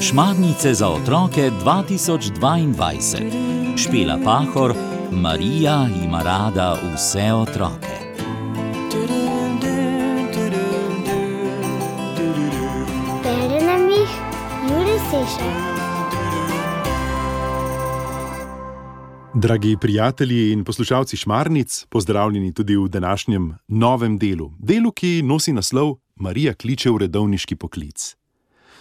Šmarnice za otroke 2022. Špela Pahor, Marija ima rada vse otroke. Bere nam jih Jure Sešar. Dragi prijatelji in poslušalci Šmarnic, pozdravljeni tudi v današnjem novem delu. Delu, ki nosi naslov Marija kliče v redovniški poklic.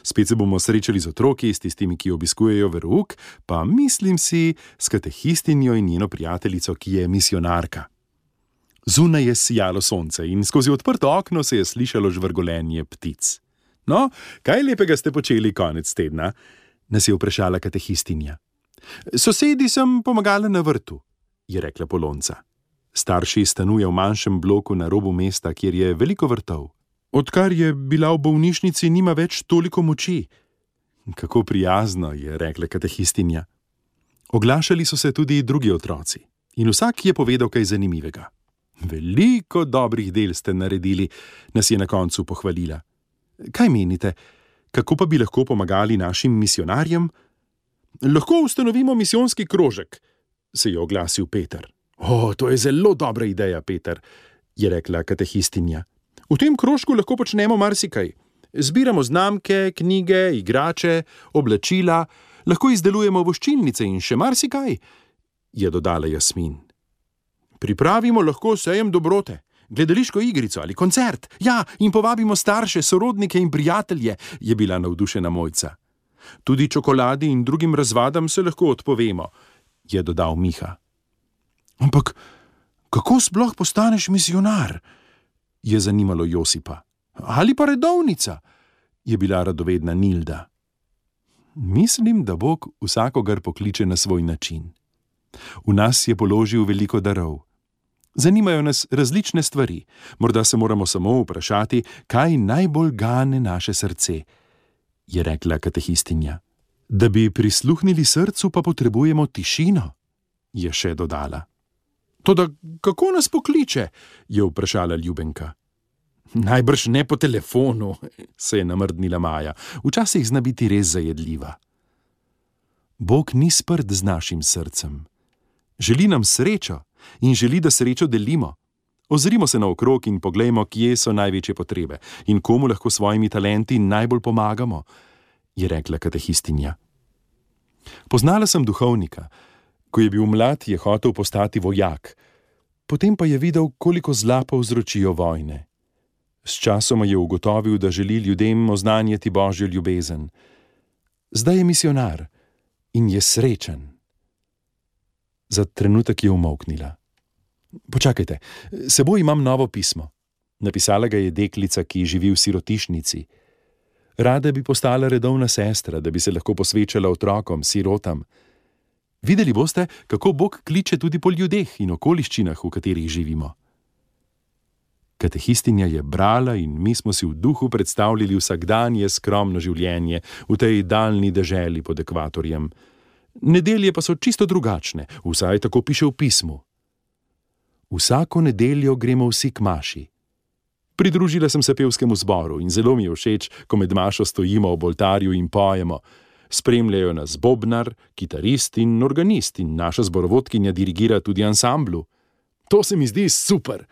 Spet se bomo srečali z otroki, s tistimi, ki obiskujejo verouk, pa mislim si s katehistinjo in njeno prijateljico, ki je misijonarka. Zunaj je sijalo sonce in skozi odprto okno se je slišalo žvrgolenje ptic. No, kaj lepega ste počeli konec tedna? Nas je vprašala katehistinja. Sosedi sem pomagala na vrtu, je rekla Polonca. Starši stanuje v manjšem bloku na robu mesta, kjer je veliko vrtov. Odkar je bila v bolnišnici, nima več toliko moči. Kako prijazno, je rekla katehistinja. Oglašali so se tudi drugi otroci in vsak je povedal kaj zanimivega. Veliko dobrih del ste naredili, nas je na koncu pohvalila. Kaj menite, kako pa bi lahko pomagali našim misijonarjem? Lahko ustanovimo misijonski krožek, se je oglasil Peter. To je zelo dobra ideja, Peter, je rekla katehistinja. V tem krožku lahko počnemo marsikaj. Zbiramo znamke, knjige, igrače, oblačila, lahko izdelujemo voščilnice in še marsikaj, je dodala Jasmin. Pripravimo lahko sejem dobrote, gledališko igrico ali koncert, in povabimo starše, sorodnike in prijatelje, je bila navdušena Mojca. Tudi čokoladi in drugim razvadam se lahko odpovemo, je dodal Miha. Ampak kako sploh postaneš misijonar? Je zanimalo Josipa. Ali pa redovnica? Je bila radovedna Nilda. Mislim, da Bog vsakogar pokliče na svoj način. V nas je položil veliko darov. Zanimajo nas različne stvari. Morda se moramo samo vprašati, kaj najbolj gane naše srce, je rekla katehistinja. Da bi prisluhnili srcu, pa potrebujemo tišino, je še dodala. Toda kako nas pokliče, je vprašala Ljubenka. Najbrž ne po telefonu, se je namrdnila Maja. Včasih zna biti res zajedljiva. Bog ni sprt z našim srcem. Želi nam srečo in želi, da srečo delimo. Ozrimo se naokrog in poglejmo, kje so največje potrebe in komu lahko svojimi talenti najbolj pomagamo, je rekla katehistinja. Poznala sem duhovnika. Ko je bil mlad, je hotel postati vojak. Potem pa je videl, koliko zla povzročijo vojne. Sčasoma je ugotovil, da želi ljudem oznanjati Božjo ljubezen. Zdaj je misijonar in je srečen. Za trenutek je umolknila. Počakajte, s seboj imam novo pismo. Napisala ga je deklica, ki živi v sirotišnici. Rada bi postala redovna sestra, da bi se lahko posvečala otrokom, sirotam. Videli boste, kako Bog kliče tudi po ljudeh in okoliščinah, v katerih živimo. Katehistinja je brala in mi smo si v duhu predstavljali vsakdanje skromno življenje v tej daljni deželi pod ekvatorjem. Nedelje pa so čisto drugačne, vsaj tako piše v pismu. Vsako nedeljo gremo vsi k maši. Pridružila sem se pevskemu zboru in zelo mi je všeč, ko med mašo stojimo ob oltarju in pojemo. Spremljajo nas bobnar, kitarist in organist in naša zborovodkinja dirigira tudi ansamblu. To se mi zdi super.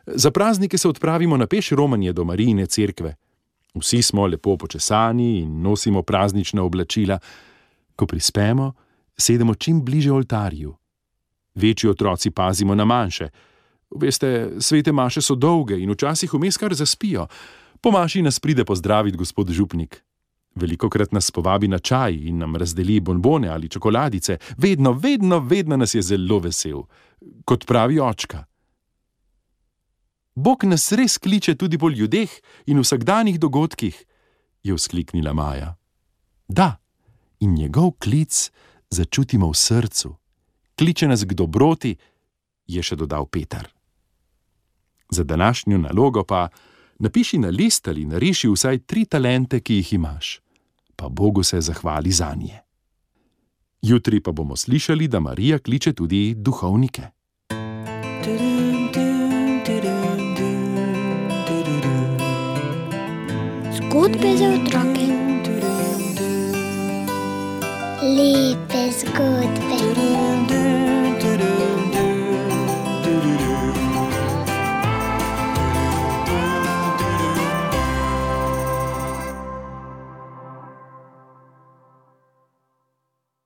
Za praznike se odpravimo na peš romanje do Marijine cerkve. Vsi smo lepo počesani in nosimo praznična oblačila. Ko prispemo, sedemo čim bliže oltarju. Večji otroci pazimo na manjše. Veste, svete maše so dolge in včasih vmes kar zaspijo. Po maši nas pride pozdraviti gospod župnik. Velikokrat nas povabi na čaj in nam razdeli bonbone ali čokoladice. Vedno nas je zelo vesel. Kot pravi očka. Bog nas res kliče tudi po ljudeh in vsakdanjih dogodkih, je vzkliknila Maja. Da, in njegov klic začutimo v srcu. Kliče nas k dobroti, je še dodal Peter. Za današnjo nalogo pa napiši na list ali nariši vsaj 3 talente, ki jih imaš. Pa Bogu se zahvali zanje. Jutri pa bomo slišali, da Marija kliče tudi duhovnike. Zgodbe za otroke. Lepe zgodbe.